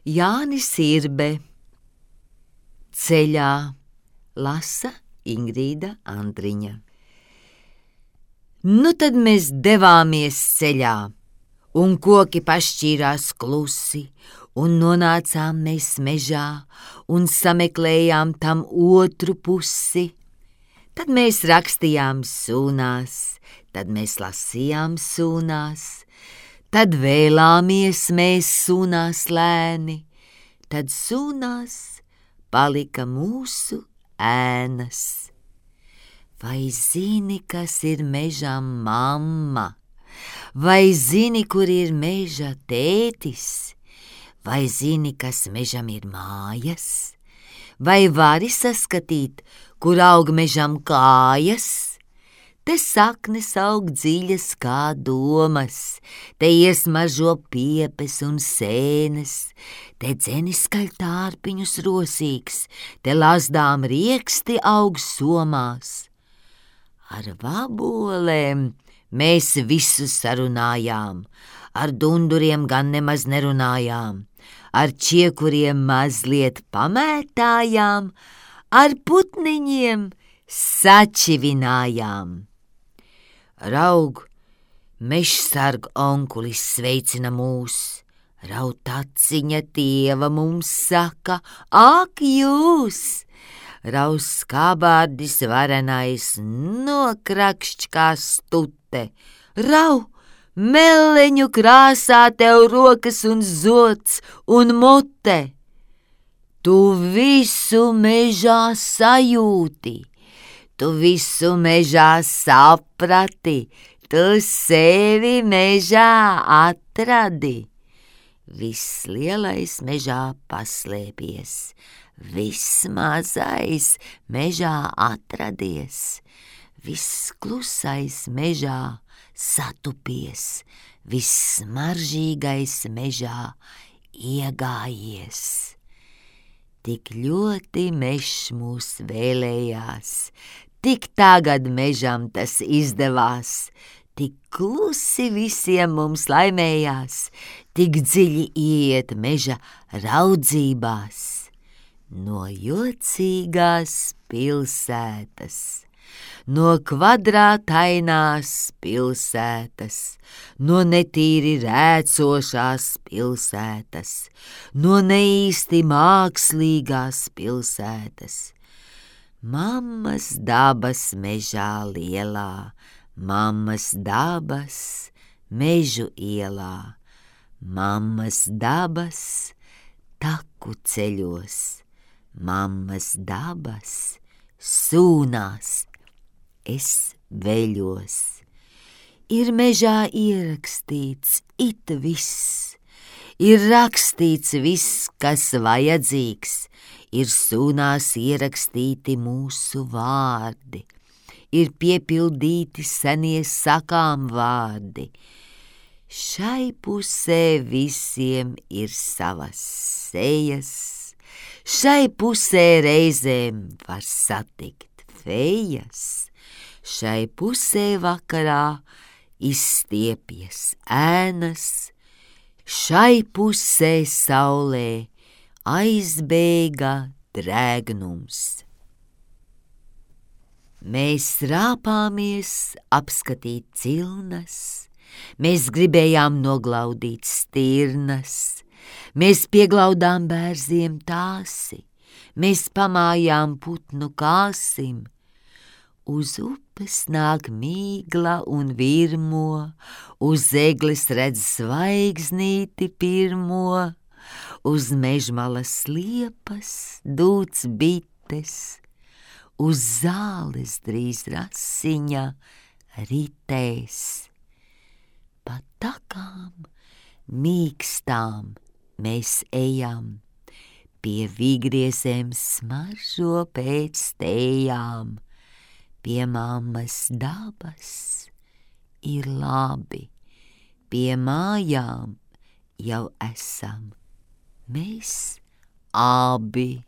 Jānis Irbe. Ceļā lasa Ingrīda Andriņa. Nu tad mēs devāmies ceļā, un koki pašķīrās klusi, un nonācām mēs mežā, un sameklējām tam otru pusi. Tad mēs rakstījām sūnās, tad mēs lasījām sūnās, tad vēlāmies mēs sūnās lēni, tad sūnās palika mūsu ēnas. Vai zini, kas ir mežā mamma? Vai zini, kur ir meža tētis? Vai zini, kas mežam ir mājas? Vai vari saskatīt, kur aug mežam kājas? Te saknes aug dziļas kā domas, te iesmažo piepes un sēnes, te dzenis skaļ tārpiņus rosīgs, te lazdām rieksti aug somās. Ar vabolēm mēs visu sarunājām, ar dunduriem gan nemaz nerunājām, ar čiekuriem mazliet pamētājām, ar putniņiem sačivinājām. Raug, mežsarg onkulis sveicina mūs, raud taciņa tieva mums saka, ak jūs! Raus skābārdis varenais nokrakšķ kā stute, rau, meleņu krāsā tev rokas un zods un mute. Tu visu mežā sajūti, tu visu mežā saprati, tu sevi mežā atradi. Viss lielais mežā paslēpies, viss mazais mežā atradies, viss klusais mežā satupies, viss smaržīgais mežā iegājies. Tik ļoti mežs mūs vēlējās, tik tagad mežam tas izdevās, tik klusi visiem mums laimējās, tik dziļi iet meža raudzībās. No jocīgās pilsētas, no kvadrātainās pilsētas, no netīri rēcošās pilsētas, no neīsti mākslīgās pilsētas. Mammas dabas mežā lielā, mammas dabas mežu ielā, mammas dabas taku ceļos, mammas dabas sūnās, es veļos. Ir mežā ierakstīts it viss, ir rakstīts viss, kas vajadzīgs, ir sūnās ierakstīti mūsu vārdi, ir piepildīti senie sakām vārdi. Šai pusē visiem ir savas sejas, šai pusē reizēm var satikt fejas, šai pusē vakarā izstiepjas ēnas, šai pusē saulē aizbēga drēgnums. Mēs rāpāmies apskatīt cilnas, mēs gribējām noglaudīt stirnas, mēs pieglaudām bērziem tāsi, mēs pamājām putnu kāsim. Uz upes nāk mīgla un virmo, uz egles redz zvaigznīti pirmo, uz mežmalas liepas dūts bites, uz zāles drīz rasiņa ritēs. Pa takām mīkstām mēs ejam, pie vīgriezēm smaržo pēc tējām, pie mammas dabas ir labi, pie mājām jau esam mēs abi.